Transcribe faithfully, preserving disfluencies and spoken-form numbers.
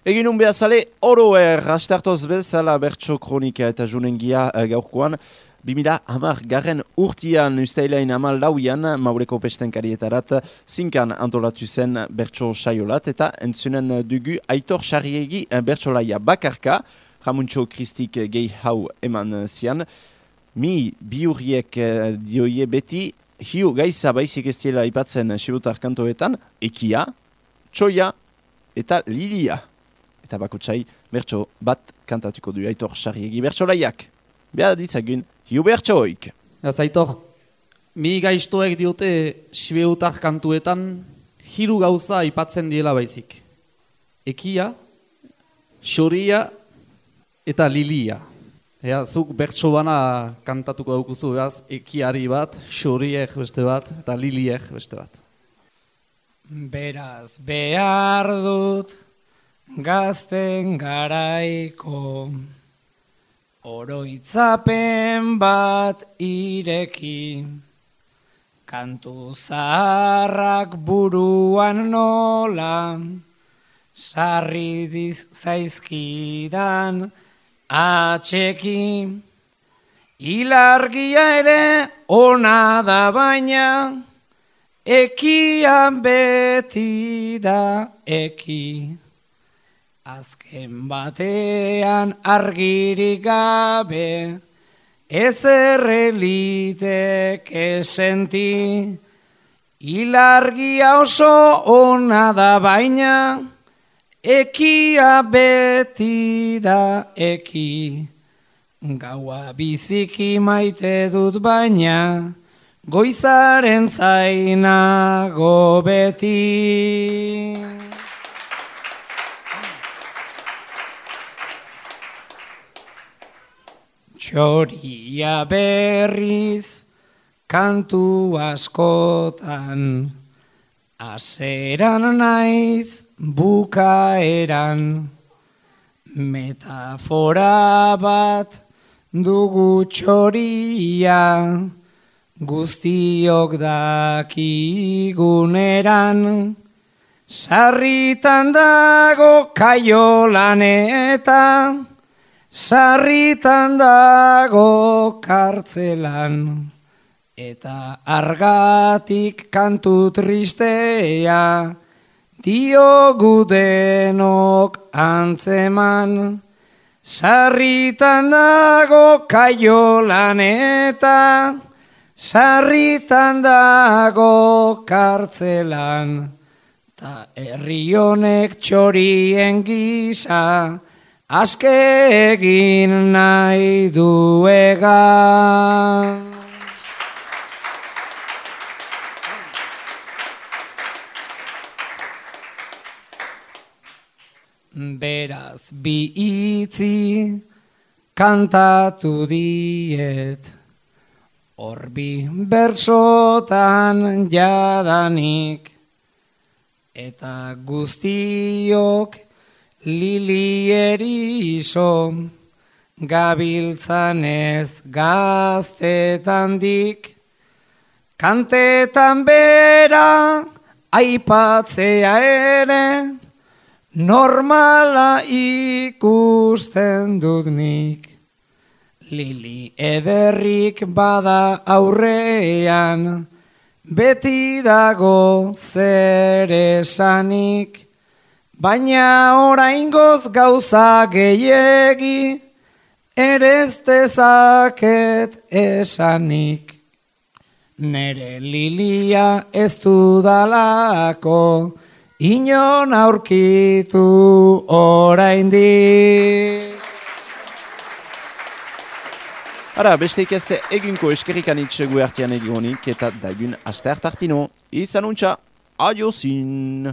Egin un behazale, oroer, astartoz bezala bertso kronika eta junengia uh, gaurkoan, bimila hamar garren urtian ustailain hamal lauian, Maureko pestenkarietarat, zinkan antolatu zen bertso saiolat, eta entzunen dugu Aitor Sarriegi bertsolaia bakarka, Ramuntxo Kristik gehi hau eman zian, mi biurriek uh, dioie beti, hiu gaiza baizik ez diela ipatzen sibutar kantoetan, ekia, txoia eta lilia. Eta bakotsai bertso bat kantatuko du Aitor Sarriegi bertsolaiak. Beha ditzagun, hiu bertsoik. Ez Aitor, mi gaiztoek diote sibeutar kantuetan hiru gauza aipatzen diela baizik. Ekia, xoria eta lilia. Ea, zuk bertso bana kantatuko daukuzu, beaz, ekiari bat, xoriek beste bat, eta liliek beste bat. Beraz behar dut gazten garaiko oroitzapen bat ireki, kantu zaharrak buruan nola sarri zaizkidan atxeki, ilargia ere ona da baina ekian beti da eki. Azken batean argirik gabe, ez erreliteke senti, ilargia oso ona da baina, ekia beti da eki. Gaua biziki maite dut baina, goizaren zainago beti. Txoria berriz kantu askotan, aseran naiz bukaeran, metafora bat dugu txoria, guztiok dakiguneran, sarritan dago kaiolan eta sarritan dago kartzelan, eta argatik kantu tristea, diogu denok antzeman. Sarritan dago kaiolan eta sarritan dago kartzelan, ta herri honek txorien gisa, aske egin nahi duega. Beraz bi itzi kantatu diet, orbi bertsotan jadanik, eta guztiok lili erizo, gabiltzanez gaztetandik, kantetan bera aipatzea ere, normala ikusten dut nik. Lili ederrik bada aurrean, beti dago zer esanik, baina oraingoz gauza gehiegi, ere ez dezaket esanik. Nere lilia ez dudalako, inon aurkitu oraindik. Ara, besteik ez eginko eskerrikanitxe guertian egonik eta dagun aste hartartino. Izan untxa, adiozin!